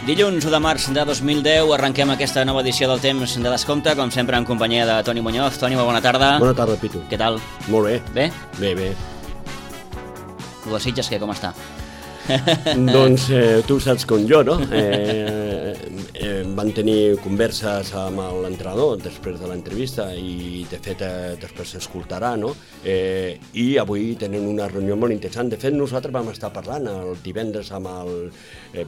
Dilluns 1 de març de 2010 arrenquem aquesta nova edició del Temps de Descompte, com sempre en companyia de Toni Muñoz. Toni, molt bona tarda. Bona tarda, Pitu. Què tal? Molt bé. Bé? Bé. El de Sitges, com està? Doncs tu saps com jo, no? Van tenir converses amb l'entrenador després de l'entrevista i de fet després s'escoltarà, no? I avui tenen una reunió molt interessant. De fet, nosaltres vam estar parlant el divendres amb el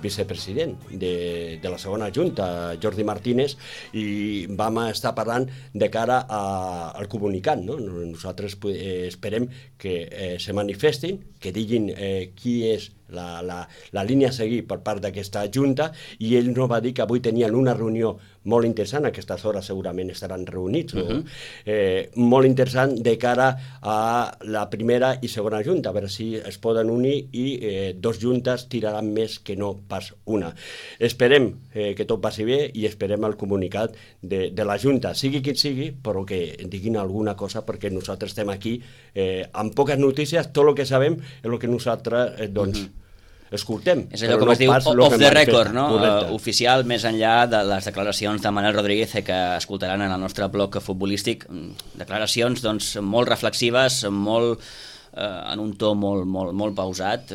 vicepresident de la segona junta, Jordi Martínez, i vam estar parlant de cara al comunicat, no? Nosaltres esperem que se manifestin, que diguin qui és la línia a seguir per part d'aquesta junta, i ell no va dir que avui tenien una reunió molt interessant, a aquestes hores segurament estaran reunits, no? Molt interessant de cara a la primera i segona junta, a veure si es poden unir i dos juntes tiraran més que no pas una. Esperem que tot passi bé i esperem el comunicat de la junta, sigui qui sigui, però que diguin alguna cosa, perquè nosaltres estem aquí amb poques notícies. Tot el que sabem és el que nosaltres escoltem. És allò, com es diu, off the record, no? Oficial, més enllà de les declaracions de Manel Rodríguez que escoltaran en el nostre blog futbolístic. Declaracions, doncs, molt reflexives, molt en un to molt pausat,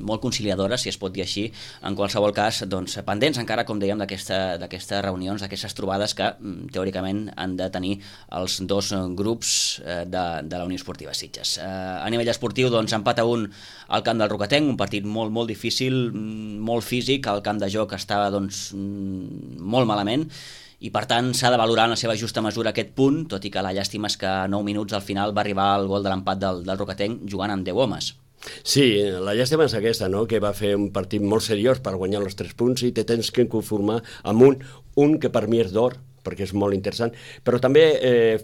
molt conciliadores, si es pot dir així. En qualsevol cas, doncs, pendents encara, com dèiem, d'aquestes reunions, d'aquestes trobades que teòricament han de tenir els dos grups de la Unió Esportiva Sitges. A nivell esportiu, doncs, empat a 1 al camp del Rocatenc, un partit molt difícil, molt físic. El camp de joc estava, doncs, molt malament, i per tant s'ha de valorar en la seva justa mesura aquest punt, tot i que la llàstima és que a 9 minuts al final va arribar el gol de l'empat del Rocatenc jugant amb 10 homes. Sí, la llàstima és aquesta, no? Que va fer un partit molt seriós per guanyar els 3 punts i te tens que conformar amb un que per mi és d'or, perquè és molt interessant, però també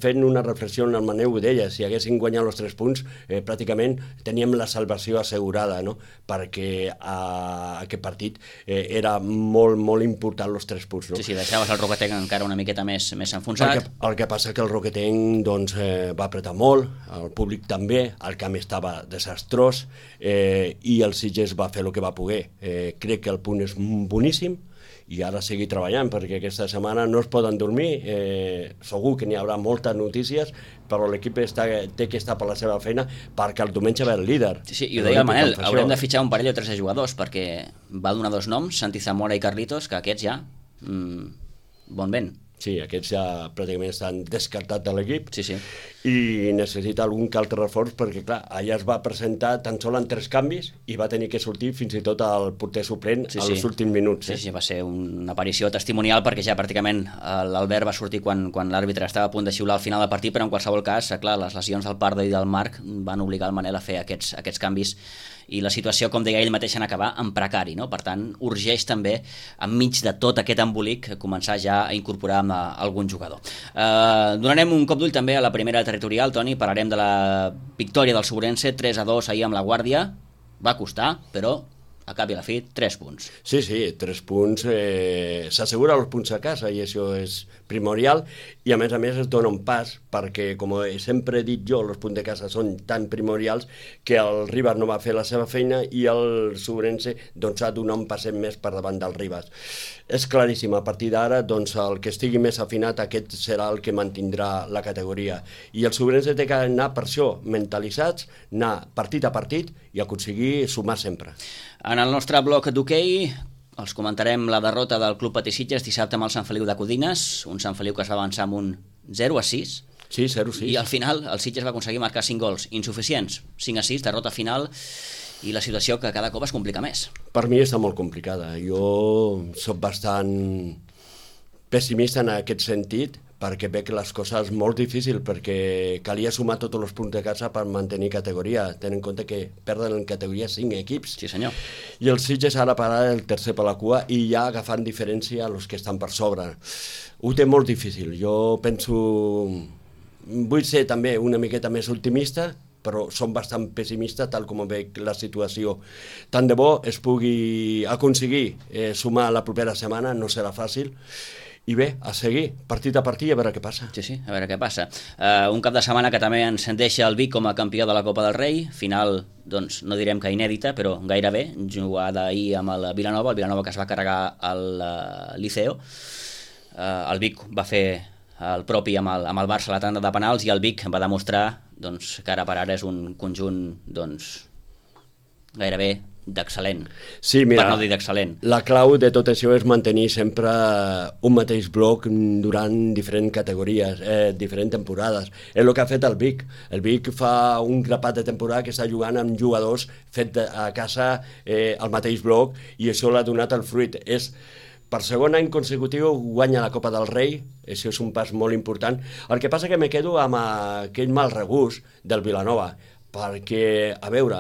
fent una reflexió en el Maneu ho deia, si haguessin guanyat els 3 punts pràcticament teníem la salvació assegurada, no? Perquè aquest partit era molt important els 3 punts, no? Sí, deixaves el Rocatenc encara una miqueta més enfonsat. El que passa que el Rocatenc doncs, va apretar molt, el públic també, el camp estava desastrós i el Sitges va fer el que va poder. Crec que el punt és boníssim i ara seguir treballant, perquè aquesta setmana no es poden dormir, segur que n'hi haurà moltes notícies, però l'equip té que estar per la seva feina perquè el diumenge ve el líder. Sí, i ho deia el Manel, haurem de fitxar un parell o 3 de jugadors, perquè va donar 2 noms, Santi Zamora i Carlitos, que aquests ja, bon vent. Sí, aquests ja pràcticament estan descartats de l'equip. Sí. I necessita algun que altre reforç, perquè clar, allà es va presentar tan sol en 3 canvis i va tenir que sortir fins i tot el porter suplent als últims minuts. Sí, va ser una aparició testimonial, perquè ja pràcticament l'Albert va sortir quan l'àrbitre estava a punt de xiular al final del partit, però en qualsevol cas, clar, les lesions del Pardo i del Marc van obligar el Manel a fer aquests canvis, i la situació, com deia ell mateix, en acabar en precari, no? Per tant, urgeix també, enmig de tot aquest embolic, començar ja a incorporar algun jugador. Donarem un cop d'ull també a la primera territorial, Toni, parlarem de la victòria del Sobrense, 3-2 ahir amb la Guàrdia. Va costar, però a cap i a la fi, 3 punts. Sí, 3 punts, s'assegura els punts a casa i això és primordial, i a més es dona un pas, perquè com sempre he dit jo, els punts de casa són tan primordials que el Ribas no va fer la seva feina i el Sobrense doncs, ha donat un passet més per davant del Ribas. És claríssim, a partir d'ara doncs, el que estigui més afinat, aquest serà el que mantindrà la categoria, i el Sobrense té que anar per això, mentalitzats, anar partit a partit i aconseguir sumar sempre. En el nostre bloc d'hoquei els comentarem la derrota del Club Patí Sitges dissabte amb el Sant Feliu de Codines, un Sant Feliu que es va avançar amb un 0-6. Sí, 0-6. I al final el Sitges va aconseguir marcar 5 gols insuficients, 5-6, derrota final, i la situació que cada cop es complica més. Per mi està molt complicada. Jo soc bastant pessimista en aquest sentit, perquè veig les coses molt difícils, perquè calia sumar tots els punts de casa per mantenir categoria. Ten en compte que perden en categoria 5 equips. Sí, senyor. I el Sitges ara parar el tercer per la cua i ja agafant diferència a els que estan per sobre. Ho té molt difícil. Jo penso... Vull ser també una miqueta més optimista, però som bastant pessimistes tal com veig la situació. Tant de bo es pugui aconseguir sumar la propera setmana, no serà fàcil, i bé, a seguir, partit a partit, a veure què passa. Sí, a veure què passa. Un cap de setmana que també ens deixa el Vic com a campió de la Copa del Rei, final, doncs, no direm que inèdita, però gairebé, jugada ahir amb el Vilanova que es va carregar al Liceo. El Vic va fer el propi amb el Barça a la tanda de penals i el Vic va demostrar doncs, que ara per ara és un conjunt doncs, gairebé d'excel·lent, sí, mira, per no dir d'excel·lent. La clau de tot això és mantenir sempre un mateix bloc durant diferents categories, diferents temporades. És el que ha fet el Vic. El Vic fa un grapat de temporada que està jugant amb jugadors fet a casa al mateix bloc i això l'ha donat el fruit. Per segon any consecutiu guanya la Copa del Rei, això és un pas molt important. El que passa que me quedo amb aquell mal regust del Vilanova, perquè, a veure,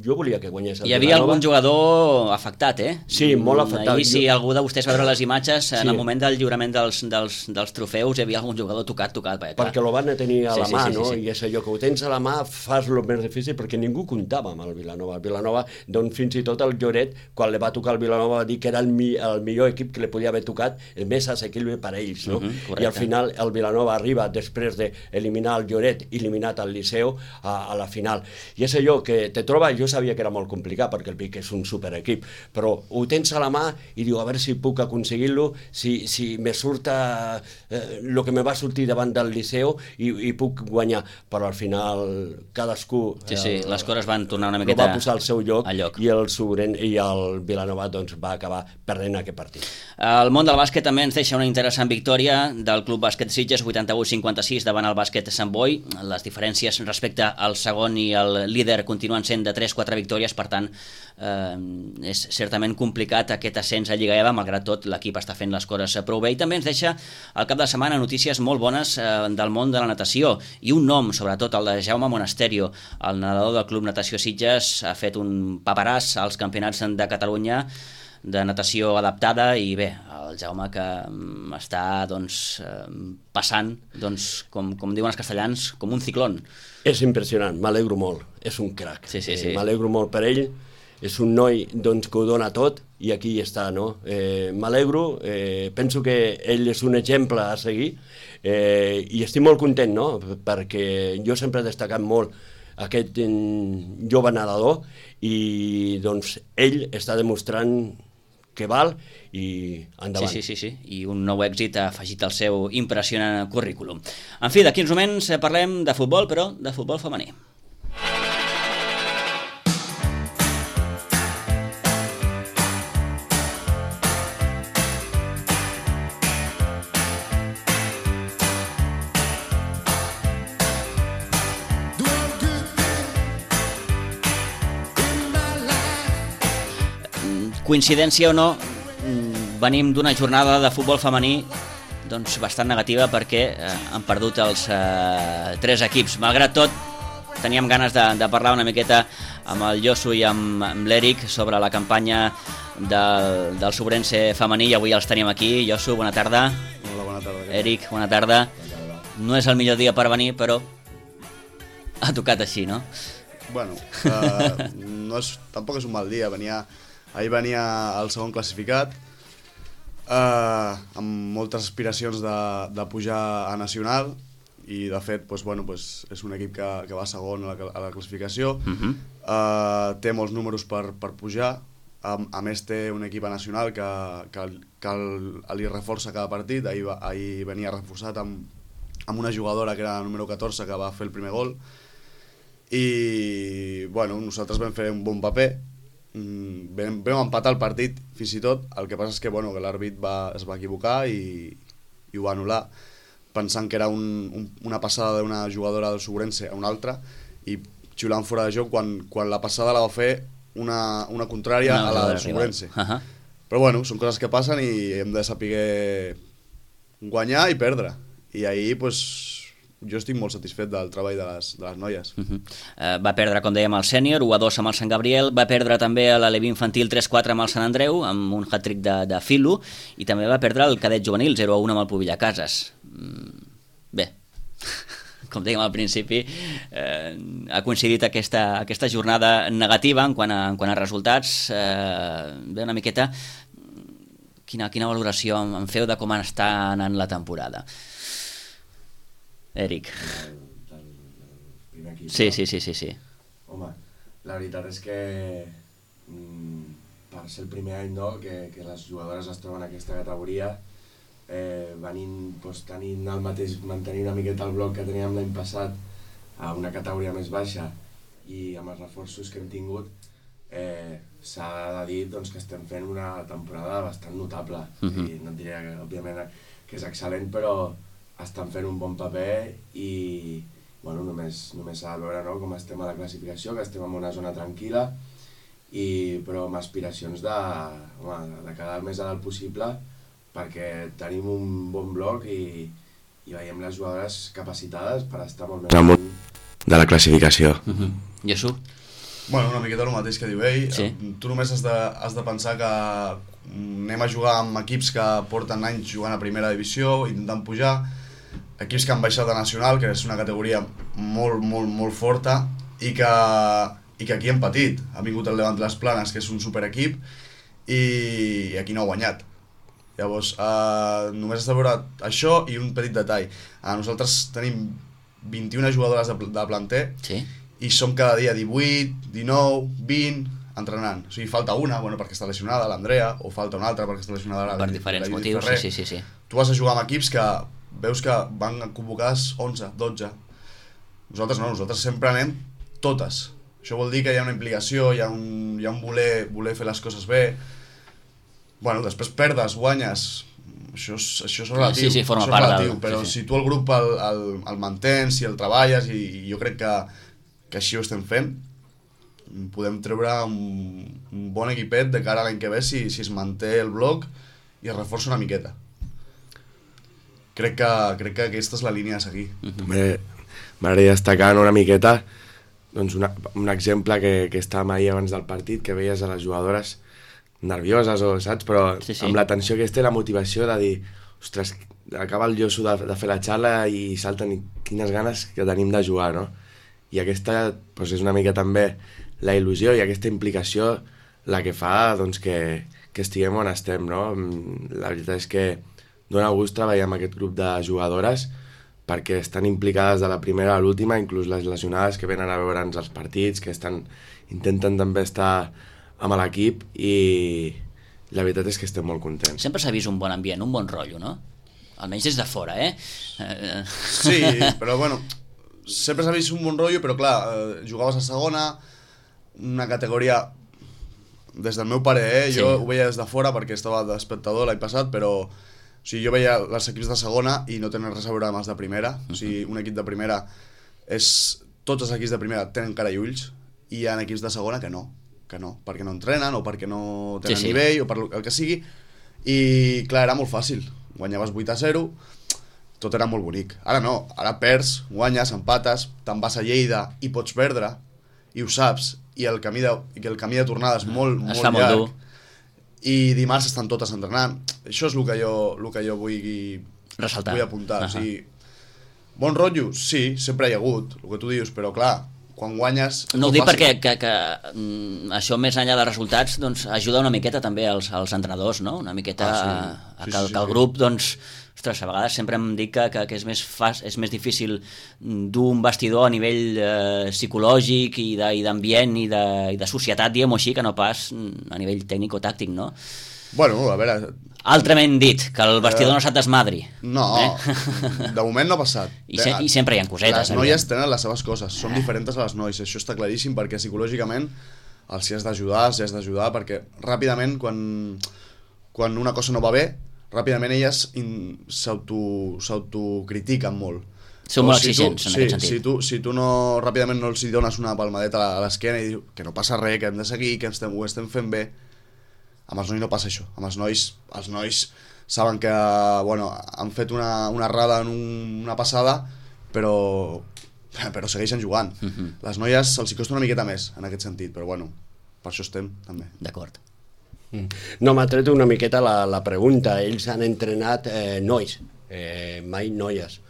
jo volia que guanyés el Vilanova. Hi havia algun jugador afectat, Sí, molt afectat. Ahir, si algú de vostès va veure les imatges, en el moment del lliurament dels trofeus hi havia algun jugador tocat. Perquè lo van a tenir a la mà, no? I és allò que ho tens a la mà, fas el més difícil, perquè ningú comptava amb el Vilanova. El Vilanova, doncs fins i tot el Lloret, quan li va tocar el Vilanova, va dir que era el millor equip que li podia haver tocat, el més assequible per a ells, no? I al final el Vilanova arriba, després d'eliminar el Lloret i eliminat el Liceu, a la final. I és allò que te troba, jo sabia que era molt complicat perquè el Vic és un superequip, però ho tens a la mà i diu, a veure si puc aconseguir-lo, si me surt el que me va sortir davant del Liceu i puc guanyar, però al final cadascú les coses van tornar una miqueta va posar al seu lloc. I el Vilanova doncs, va acabar perdent aquest partit. El món del bàsquet també ens deixa una interessant victòria del Club Bàsquet Sitges, 88-56 davant el bàsquet Sant Boi. Les diferències respecte al segon i el líder continuen sent de 3-4 victòries, per tant és certament complicat aquest ascens a Lliga EVA, malgrat tot l'equip està fent les coses prou bé. I també ens deixa al cap de setmana notícies molt bones del món de la natació i un nom, sobretot el de Jaume Monasterio, el nedador del Club Natació Sitges, ha fet un paperàs als campionats de Catalunya de natació adaptada i bé, el Jaume que està doncs, passant, doncs, com diuen els castellans, com un ciclón. És impressionant, m'alegro molt, és un crac. Sí. M'alegro molt per ell, és un noi doncs, que ho dona tot i aquí està, no? M'alegro, penso que ell és un exemple a seguir i estic molt content, no? Perquè jo sempre he destacat molt aquest jove nedador i doncs ell està demostrant que val i endavant. Sí. I un nou èxit ha afegit al seu impressionant currículum. En fi, d'aquí uns moments parlem de futbol, però de futbol femení. Coincidència o no, venim d'una jornada de futbol femení doncs bastant negativa perquè han perdut els 3 equips. Malgrat tot, teníem ganes de parlar una miqueta amb el Josu i amb l'Eric sobre la campanya del Sobrense femení i avui els tenim aquí. Josu, bona tarda. Hola, bona tarda. Eric, bona tarda. No és el millor dia per venir, però ha tocat així, no? Bueno, tampoc és un mal dia. Ahir venia el segon classificat, amb moltes aspiracions de pujar a nacional i de fet és un equip que va segon a la classificació. Té molts números per pujar, a més té un equip a nacional que li reforça cada partit. Ahir venia reforçat amb una jugadora que era la número 14 que va fer el primer gol i nosaltres vam fer un bon paper. Vam empatar el partit fins i tot. El que passa és que l'àrbit es va equivocar i ho va anul·lar pensant que era una passada d'una jugadora del Sobrense a una altra i xiulant fora de joc quan la passada la va fer una contrària a la del Sobrense. Però són coses que passen i hem de saber guanyar i perdre. I ahir jo estic molt satisfet del treball de les noies. Va perdre, com dèiem, el sènior 1-2 amb el Sant Gabriel, va perdre també a l'Aleví infantil 3-4 amb el Sant Andreu, amb un hat-trick de Filo, i també va perdre el cadet juvenil 0-1 amb el Pubillacases. Bé, com dèiem al principi, ha coincidit aquesta jornada negativa en quant a resultats. Bé, una miqueta Quina valoració en feu de com està anant la temporada? Eric. El primer equip. Sí. Home, la veritat és que per ser el primer any que les jugadores es troben en aquesta categoria, mantenir una miqueta el bloc que teníem l'any passat a una categoria més baixa i amb els reforços que hem tingut, s'ha de dir doncs, que estem fent una temporada bastant notable. I no et diré que, òbviament, que és excel·lent, però estan fent un bon paper i bueno, només s'ha de veure, no?, com estem a la classificació, que estem en una zona tranquil·la, però amb aspiracions de quedar el més a dalt possible, perquè tenim un bon bloc i veiem les jugadores capacitades per estar molt més amunt de la classificació. Jesús? Bueno, una miqueta el mateix que diu ell. Sí. Tu només has de pensar que anem a jugar amb equips que porten anys jugant a primera divisió, intentant pujar, equips que han baixat de nacional, que és una categoria molt forta, i que aquí hem patit. Ha vingut el Levante Les Planes, que és un superequip, i aquí no ha guanyat. Llavors, només has de veure això i un petit detall. Nosaltres tenim 21 jugadores de planter, Sí. i som cada dia 18, 19, 20 entrenant. O sigui, falta una, perquè està lesionada, l'Andrea, o falta una altra perquè està lesionada Per diferents motius, sí. Tu vas a jugar amb equips que veus que van convocades 11, 12. Nosaltres no, nosaltres sempre anem totes. Això vol dir que hi ha una implicació, hi ha un voler fer les coses bé. Bueno, després perdes, guanyes, això és relatiu, sí, forma part del... però si tu el grup el mantens, si el treballes, i jo crec que així ho estem fent, podem treure un bon equipet de cara a l'any que ve si es manté el bloc i es reforça una miqueta. Crec que aquesta és la línia a seguir. M'agradaria destacar una miqueta doncs un exemple que estàvem ahir abans del partit, que veies a les jugadores nervioses, saps? Però Sí. amb la tensió aquesta i la motivació de dir, ostres, acaba el Josu de fer la xala i salten, i quines ganes que tenim de jugar, no? I aquesta doncs, és una mica també la il·lusió i aquesta implicació la que fa doncs, que estiguem on estem, no? La veritat és que dona gust treballar amb aquest grup de jugadores perquè estan implicades de la primera a l'última, inclús les lesionades que venen a veure'ns els partits, que intenten també estar amb l'equip, i la veritat és que estem molt contents. Sempre s'ha vist un bon ambient, un bon rotllo, no? Almenys des de fora, Sí, però bueno, sempre s'ha vist un bon rotllo, però clar, jugaves a segona, una categoria, des del meu pare, jo ho veia des de fora perquè estava d'espectador l'any passat, però o sigui, jo veia els equips de segona i no tenen res a veure amb els de primera. O sigui, un equip de primera tots els equips de primera tenen cara i ulls, i hi ha equips de segona que no, perquè no entrenen o perquè no tenen nivell o per el que sigui, i clar, era molt fàcil, guanyaves 8-0, tot era molt bonic. Ara no, ara perds, guanyes, empates, te'n vas a Lleida i pots perdre, i ho saps, i el camí de tornada és molt llarg, molt dur. I dimarts estan totes entrenant. Això és el que jo vull ressaltar, vull apuntar. O sigui, bon rotllo, sí, sempre hi ha hagut, el que tu dius, però clar, quan guanyes... No ho dic perquè que això, més enllà dels resultats, doncs, ajuda una miqueta també als entrenadors, no? Una miqueta que el grup, doncs, ostres, a vegades sempre em dic que és més difícil dur un vestidor a nivell psicològic i d'ambient i de societat, diguem-ho així, que no pas a nivell tècnic o tàctic, no? Bueno, a veure... Altrament dit, que el vestidor no se't desmadri. No, de moment no ha passat. I sempre hi ha cosetes. Les noies tenen les seves coses, són diferents a les nois, això està claríssim, perquè psicològicament els hi has d'ajudar, perquè ràpidament, quan una cosa no va bé, ràpidament elles s'autocritiquen molt. Són molt exigents, en aquest sentit. Si tu no, ràpidament no els dones una palmadeta a l'esquena i dius que no passa res, que hem de seguir, que ho estem fent bé, amb els nois no passa això. Amb els nois saben que han fet una errada en una passada, però segueixen jugant. Les noies els costa una miqueta més en aquest sentit, però bueno, per això estem també. D'acord. No, m'ha tret una miqueta la pregunta. Ells han entrenat nois, mai noies.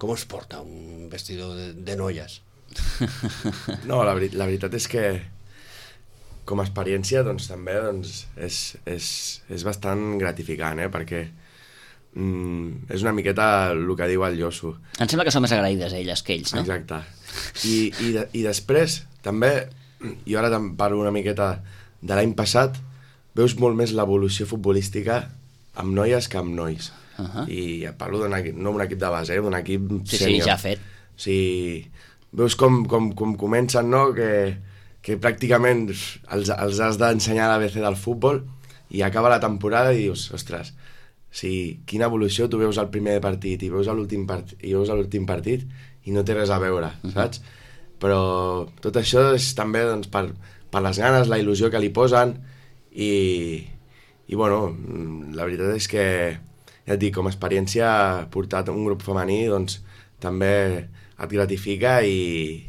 Com es porta un vestidor de noies? No, la veritat és que com a experiència doncs, també doncs, és bastant gratificant, perquè és una miqueta el que diu el Josu. Em sembla que són més agraïdes elles que ells, no? Exacte. I després, també, jo ara parlo una miqueta de l'any passat, veus molt més l'evolució futbolística amb noies que amb nois. I parlo d'un equip, no d'un equip de base, d'un equip sènior. Sí, ja fet. Sí, veus com comencen, no?, que pràcticament els has d'ensenyar l'ABC del futbol i acaba la temporada i dius, ostres, quina evolució, tu veus el primer partit i veus l'últim partit i no té res a veure, saps? Però tot això és també doncs, per les ganes, la il·lusió que li posen i bueno, la veritat és que, ja et dic, com a experiència portar un grup femení doncs també et gratifica i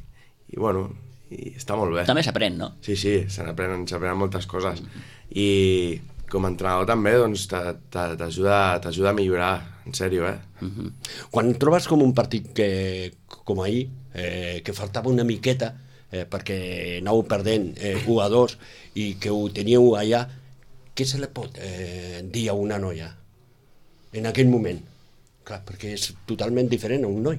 bueno, i està molt bé. També s'aprèn, no? Sí, se n'aprenen moltes coses. I com a entrenador també doncs, t'ajuda a millorar, en sèrio, Quan trobes com un partit com ahir, que faltava una miqueta perquè anàveu perdent 1-2 i que ho teníeu allà, què se li pot dir a una noia en aquell moment? Clar, perquè és totalment diferent a un noi.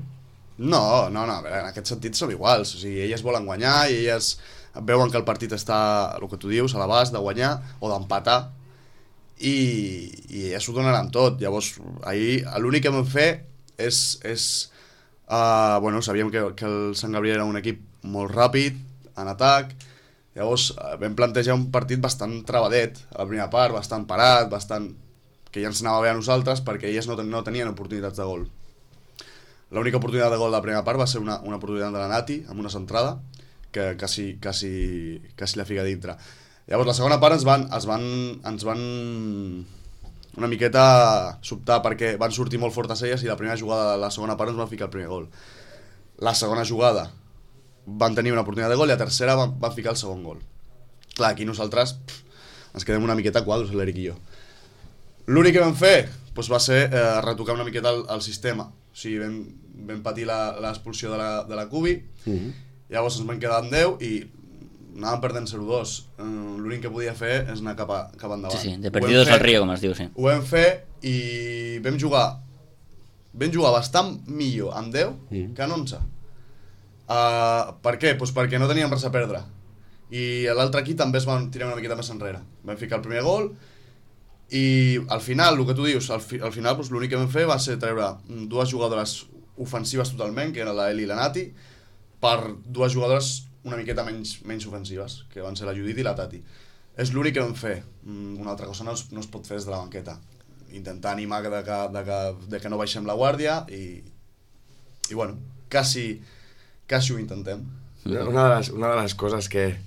No, a veure, en aquest sentit som iguals, o sigui, elles volen guanyar i elles veuen que el partit està, el que tu dius, a l'abast de guanyar o d'empatar i elles ho donaran tot. Llavors, ahir l'únic que vam fer és bueno, sabíem que el Sant Gabriel era un equip molt ràpid, en atac, llavors vam plantejar un partit bastant travadet, a la primera part, bastant parat, que ja ens anava bé a nosaltres perquè elles no tenien oportunitats de gol. L'única oportunitat de gol de la primera part va ser una oportunitat de la Nati, amb una centrada, que quasi la fica dintre. Llavors, la segona part ens van una miqueta sobtar perquè van sortir molt fortes elles i la primera jugada de la segona part ens van ficar el primer gol. La segona jugada van tenir una oportunitat de gol i la tercera van ficar el segon gol. Clar, aquí nosaltres ens quedem una miqueta quadros, l'Eric i jo. L'únic que vam fer va ser retocar una miqueta el sistema. O sigui, vam patir l'expulsió de la Cubi, llavors ens vam quedar amb 10 i anàvem perdent 0-2. L'únic que podia fer és anar cap endavant. Sí, de perdidos al río, com es diu, sí. Ho vam fer i vam jugar bastant millor amb 10 que en 11. Per què? Perquè no teníem res a perdre. I l'altre equip també es van tirar una miqueta més enrere. Vam ficar el primer gol i al final, el que tu dius, al final l'únic que vam fer va ser treure dues jugadores ofensives totalment, que eren la Eli i la Nati, per dues jugadores una miqueta menys ofensives, que van ser la Judit i la Tati. És l'únic que vam fer. Una altra cosa no es pot fer des de la banqueta. Intentar animar de que no baixem la guàrdia i bueno, quasi ho intentem. Una de les coses que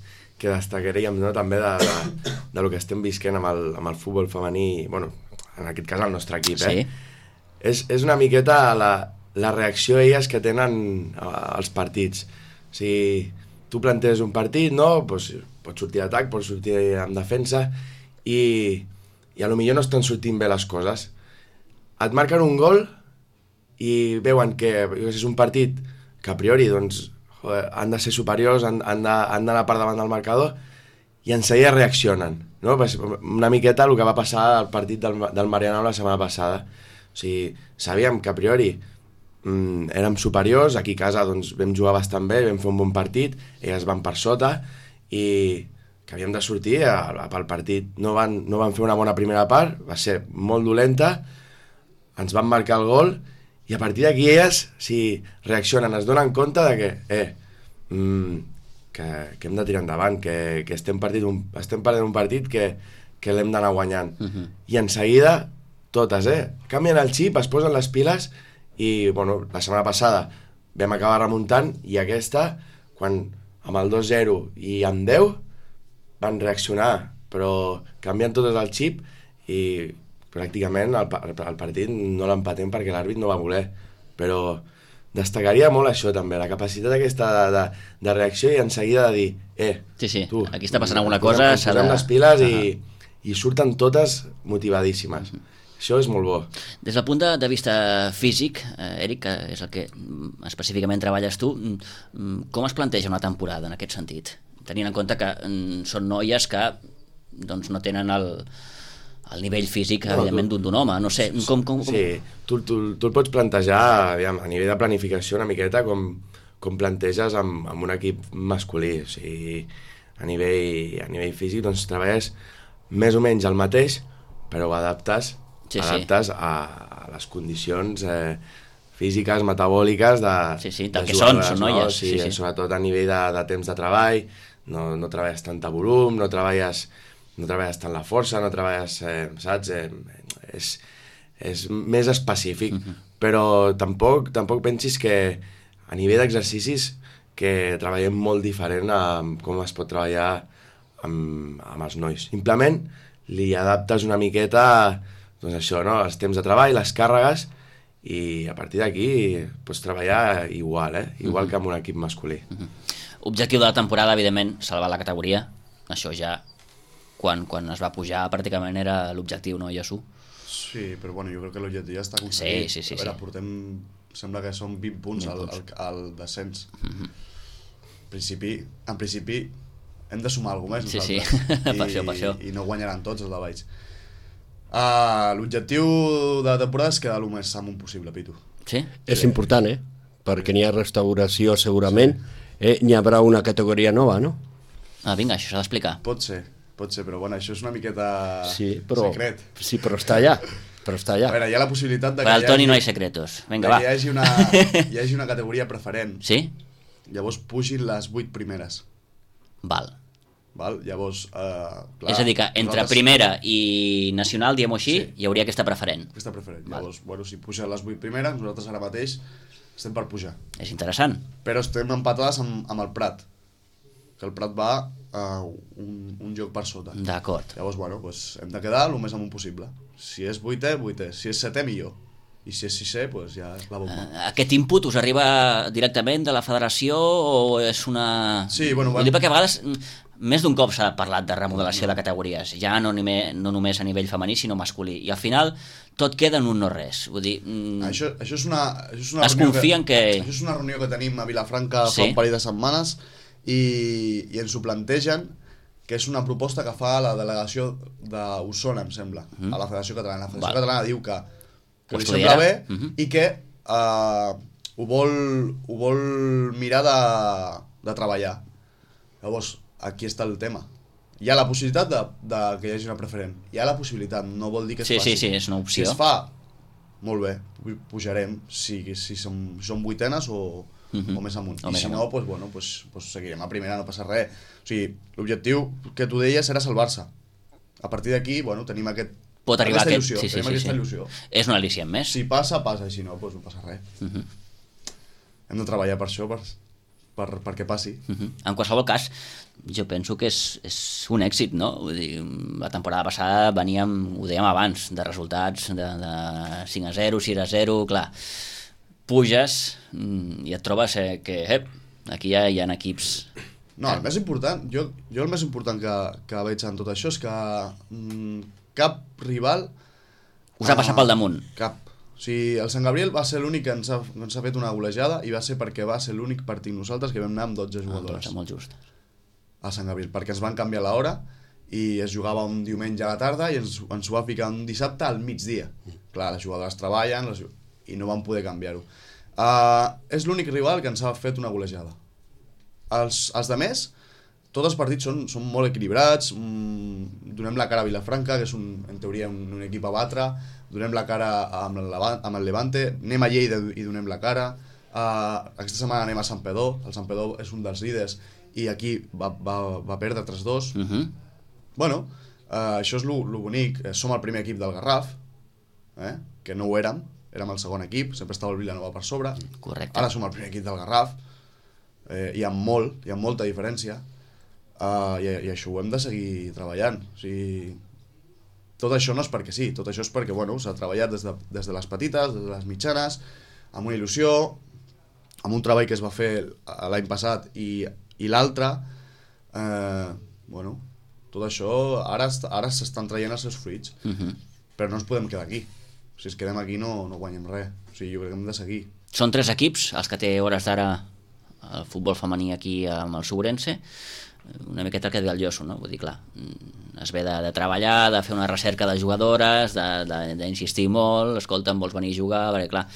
destacaríem, no, també de lo que estem visquent amb el futbol femení, bueno, en aquest cas el nostre equip, sí. És una miqueta la reacció elles que tenen als partits. O sigui, tu planteges un partit, no? Pues, pots sortir d'atac, pots sortir en defensa i a lo millor no estan sortint bé les coses. Et marquen un gol i veuen que és un partit que a priori doncs, han de ser superiors, han d'anar per davant del marcador i en seguida reaccionen, no? Una miqueta el que va passar al partit del Marianao la setmana passada. O sigui, sabíem que a priori érem superiors, aquí a casa doncs, vam jugar bastant bé, vam fer un bon partit, elles van per sota i que havíem de sortir pel partit. No van fer una bona primera part, va ser molt dolenta, ens van marcar el gol i a partir d'aquí elles reaccionen, es donen compte de que hem de tirar endavant, que estem perdent un partit que l'hem d'anar guanyant. I en seguida, totes, canvien el xip, es posen les piles i, bueno, la setmana passada vam acabar remuntant i aquesta, quan amb el 2-0 i amb 10, van reaccionar, però canvien totes el xip i pràcticament el partit no l'empatem perquè l'àrbit no va voler, però destacaria molt això també, la capacitat aquesta de reacció i en seguida de dir sí, tu, aquí està passant alguna cosa, posem les piles i surten totes motivadíssimes. Això és molt bo. Des del punt de vista físic, Eric, que és el que específicament treballes tu, com es planteja una temporada en aquest sentit? tenint en compte que són noies que doncs, no tenen el nivell físic, evidentment, d'un home. No sé, com... Sí, tu el pots plantejar, aviam, a nivell de planificació una miqueta com planteges amb un equip masculí. O sigui, a nivell físic doncs treballes més o menys el mateix, però ho adaptes a les condicions físiques, metabòliques del que són noies. Sí, sobretot a nivell de temps de treball, no treballes tant a volum, no treballes tant la força, no treballes, saps? És més específic, però tampoc pensis que a nivell d'exercicis que treballem molt diferent a com es pot treballar amb els nois. Simplement li adaptes una miqueta doncs això, no? Els temps de treball, les càrregues, i a partir d'aquí pots treballar igual, igual que amb un equip masculí. Objectiu de la temporada, evidentment, salvar la categoria. Això ja, quan es va pujar, pràcticament era l'objectiu, no, Jesús? Sí, però bueno, jo crec que l'objectiu ja està aconseguit. Sí. A veure, portem, sembla que són 20 punts al descens. En principi hem de sumar alguna cosa més nosaltres. Per això. I no guanyaran tots els de Valls. L'objectiu de la temporada és quedar el més amunt possible, Pitu. Sí? És important, perquè n'hi ha restauració segurament, n'hi haurà una categoria nova, no? Vinga, això s'ha d'explicar. Pot ser, però bueno, això és una miqueta secret. Sí, però està allà. A veure, hi ha la possibilitat de que al Toni no hi ha secretos. Vinga, va. Hi hagi una categoria preferent. Sí? Llavors pugin les 8 primeres. Val? Llavors, clar, és a dir, que entre primera i nacional, diguem-ho així, hi hauria aquesta preferent. Llavors, bueno, si pugen les 8 primeres, nosaltres ara mateix estem per pujar. És interessant. Però estem empatades amb el Prat, que el Prat va un joc per sota. D'acord. Llavors, bueno, doncs hem de quedar el més amunt possible. Si és 8è, 8è. Si és 7è, millor. I si és 6è, doncs ja és la bomba. Aquest input us arriba directament de la federació o és una... Sí, bueno... Vull dir, perquè a vegades més d'un cop s'ha parlat de remodelació de categories, ja no només a nivell femení, sinó masculí. I al final tot queda en un no res. Vull dir... Això és una es confien que... Això és una reunió que tenim a Vilafranca fa un parell de setmanes i ens ho plantegen, que és una proposta que fa la delegació d'Osona, em sembla, a la Federació Catalana. La Federació Catalana diu que li sembla bé i que ho vol mirar de treballar. Llavors, aquí està el tema. Hi ha la possibilitat de que hi hagi una preferent. Hi ha la possibilitat, no vol dir que es faci. Sí, és una opció. Si es fa, molt bé, pujarem, si som vuitenes o més amunt. I si no, doncs seguirem a primera, no passa res. O sigui, l'objectiu que tu deies era salvar-se. A partir d'aquí, bueno, tenim aquesta il·lusió. És un al·licient més. Si passa, i si no, doncs no passa res. Hem de treballar per això, perquè passi. En qualsevol cas, jo penso que és un èxit, no? Vull dir, la temporada passada veníem, ho dèiem abans, de resultats de 5-0, 6-0, clar. Puges i et trobes que aquí ja hi ha equips... No, el més important, jo el més important que veig en tot això és que cap rival... Us ha passat pel damunt. Cap. O sigui, el Sant Gabriel va ser l'únic que ens ha fet una golejada i va ser perquè va ser l'únic partit nosaltres que vam anar amb 12 jugadores. Molt just. A Sant Gabriel, perquè ens van canviar l'hora i es jugava un diumenge a la tarda i ens ho va ficar un dissabte al migdia. Clar, les jugadores treballen i no van poder canviar-ho. És l'únic rival que ens ha fet una golejada. Els altres, tots els partits són molt equilibrats, donem la cara a Vilafranca, que és en teoria un equip a batre, donem la cara amb el Levante, anem a Lleida i donem la cara, aquesta setmana anem a Santpedor, el Santpedor és un dels líders i aquí va perdre 3-2. Bueno, això és lo bonic, som el primer equip del Garraf, que no ho érem el segon equip, sempre estava el Vilanova per sobre. Correcte. Ara som el primer equip del Garraf, hi ha molta diferència, i això ho hem de seguir treballant. O sigui, tot això no és perquè sí, tot això és perquè s'ha treballat des de les petites, des de les mitjanes, amb una il·lusió, amb un treball que es va fer l'any passat i l'altre. Tot això ara s'estan traient els seus fruits, però no ens podem quedar aquí. Si ens quedem aquí no guanyem res. O sigui, jo crec que hem de seguir. Són 3 equips els que té hores d'ara el futbol femení aquí amb el Sobrense. una miqueta el que deia el Josu, no? Vull dir, clar, es ve de treballar, de fer una recerca de jugadores, d'insistir molt, escolta, em vols venir a jugar, perquè clar,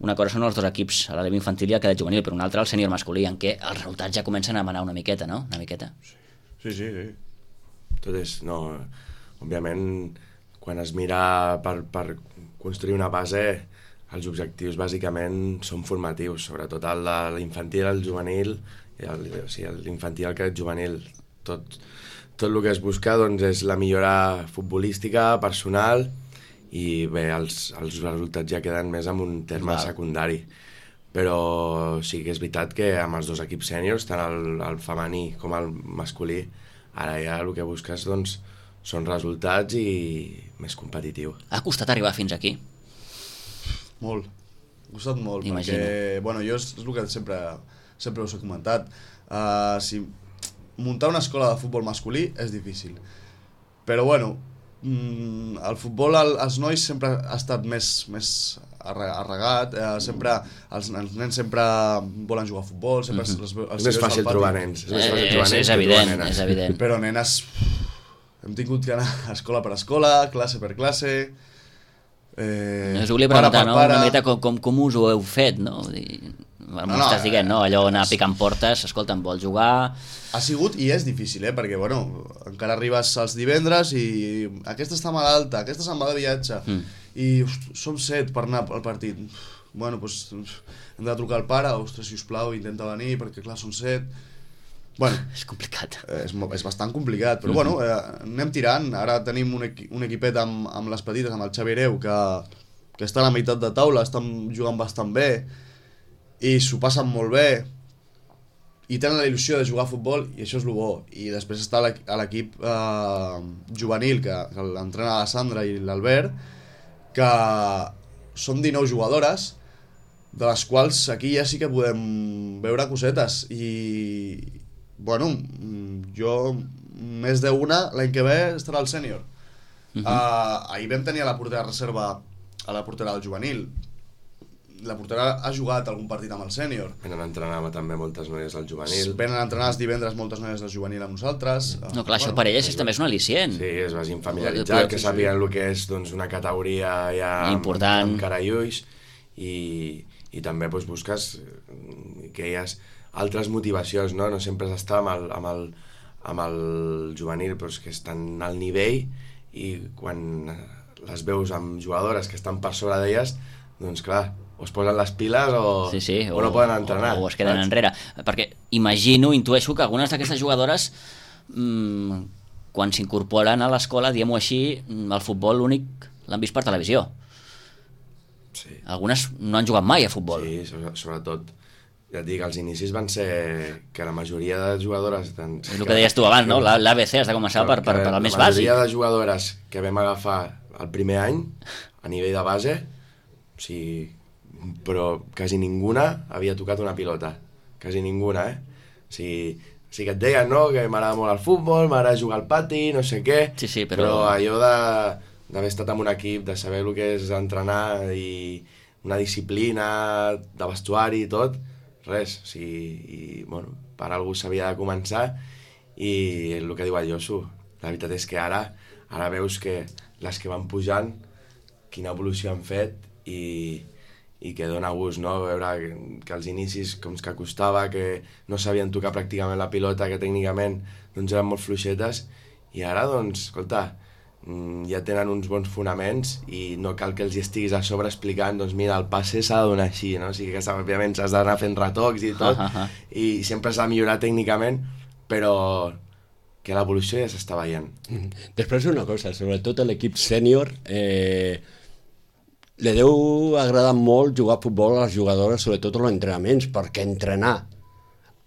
una cosa són els dos equips, a l'edat infantil i el cadet juvenil, però una altra el sènior masculí, en què els resultats ja comencen a manar una miqueta, no? Una miqueta. Sí. Tot és, no, òbviament, quan es mira per construir una base, els objectius bàsicament són formatius, sobretot l'infantil, el juvenil, l'infantil, el cadet juvenil. Tot el que es busca doncs, és la millora futbolística, personal, i bé, els resultats ja queden més en un terme secundari. Però sí que és veritat que amb els dos equips sèniors, tant el femení com el masculí, ara ja el que busques doncs, són resultats i més competitiu. Ha costat arribar fins aquí? Molt. Ha costat molt, Imagino. perquè bueno, jo és el que sempre us he comentat. Si muntar una escola de futbol masculí és difícil. Però bueno, el futbol als nois sempre ha estat més arregat, els nens sempre volen jugar a futbol, sempre és més fàcil trobar nens. És evident. Però nenes, hem tingut que anar a escola per escola, classe per classe, us volia preguntar, no? Una miqueta com us ho heu fet, no? M'estàs dient, no? Allò anar picant portes, escolta, em vol jugar... Ha sigut i és difícil, perquè bueno, encara arribes als divendres i aquesta està malalta, aquesta se'n va de viatge, i som 7 per anar al partit. Bueno, doncs hem de trucar al pare, ostres, sisplau, intenta venir, perquè clar, són 7. Bueno, és complicat. És bastant complicat, però bueno, anem tirant. Ara tenim un equipet amb les petites, amb el Xavi Hereu, que està a la meitat de taula, estan jugant bastant bé, i s'ho passen molt bé, i tenen la il·lusió de jugar a futbol, i això és el bo. I després està l'equip juvenil, que l'entrena la Sandra i l'Albert, que són 19 jugadores, de les quals aquí ja sí que podem veure cosetes. I, bueno, jo més d'una, l'any que ve estarà al sènior. Ahir vam tenir a la portera reserva, a la portera del juvenil. La portera ha jugat algun partit amb el sènior. Venen a entrenar també moltes noies del juvenil. Venen a entrenar els divendres moltes noies del juvenil amb nosaltres. No, clar, això per elles també és un al·licient. Sí, es vagin familiaritzant, que sàpiguen el que és doncs, una categoria ja important, amb cara i ulls, i també doncs, busques que hi ha altres motivacions, no? No sempre és estar amb el juvenil, però que estan al nivell, i quan les veus amb jugadores que estan per sobre d'elles, doncs clar, o es posen les piles o no poden entrenar. O es queden enrere. Perquè intueixo que algunes d'aquestes jugadores, quan s'incorporen a l'escola, diguem-ho així, el futbol l'únic l'han vist per televisió. Sí. Algunes no han jugat mai a futbol. Sí, sobretot. Ja et dic, els inicis van ser que la majoria de jugadores... És el que deies tu abans, no? L'ABC has de començar per el més bàsic. La majoria de jugadores que vam agafar el primer any, a nivell de base, o sigui, però quasi ninguna havia tocat una pilota. Quasi ninguna, O sigui que et deien, no?, que m'agrada molt el futbol, m'agrada jugar al pati, no sé què, sí, però allò d'haver estat en un equip, de saber el que és entrenar i una disciplina de vestuari i tot, res. O sigui, i, bueno, per algú s'havia de començar, i el que diu el Josu, la veritat és que ara veus que les que van pujant, quina evolució han fet, i que dona gust, no?, veure que als inicis com que costava, que no sabien tocar pràcticament la pilota, que tècnicament doncs eren molt fluixetes, i ara, doncs, escolta, ja tenen uns bons fonaments i no cal que els hi estiguis a sobre explicant, doncs mira, el passe s'ha de donar així, no? O sigui que òbviament s'has d'anar fent retocs i tot, i sempre s'ha de millorar tècnicament, però que l'evolució ja s'està veient. Després una cosa, sobretot a l'equip sènior, li deu agradar molt jugar a futbol a les jugadores, sobretot als entrenaments, perquè entrenar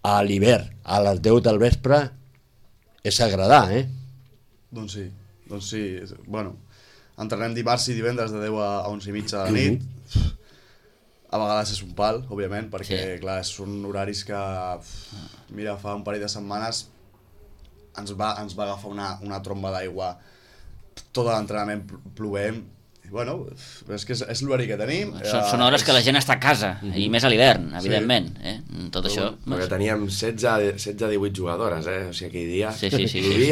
a l'hivern a les 10 del vespre és agradar, Doncs sí. Bueno, entrenem dimarts i divendres de 10 a 11 i mitja de la nit. A vegades és un pal, òbviament, perquè clar, són horaris que, mira, fa un parell de setmanes ens va agafar una tromba d'aigua, tot l'entrenament plovent, Bueno, és que és l'horari que tenim. Són hores que la gent està a casa, i més a l'hivern, evidentment. Tot això... Perquè teníem 16-18 jugadores, o sigui, aquell dia... Sí.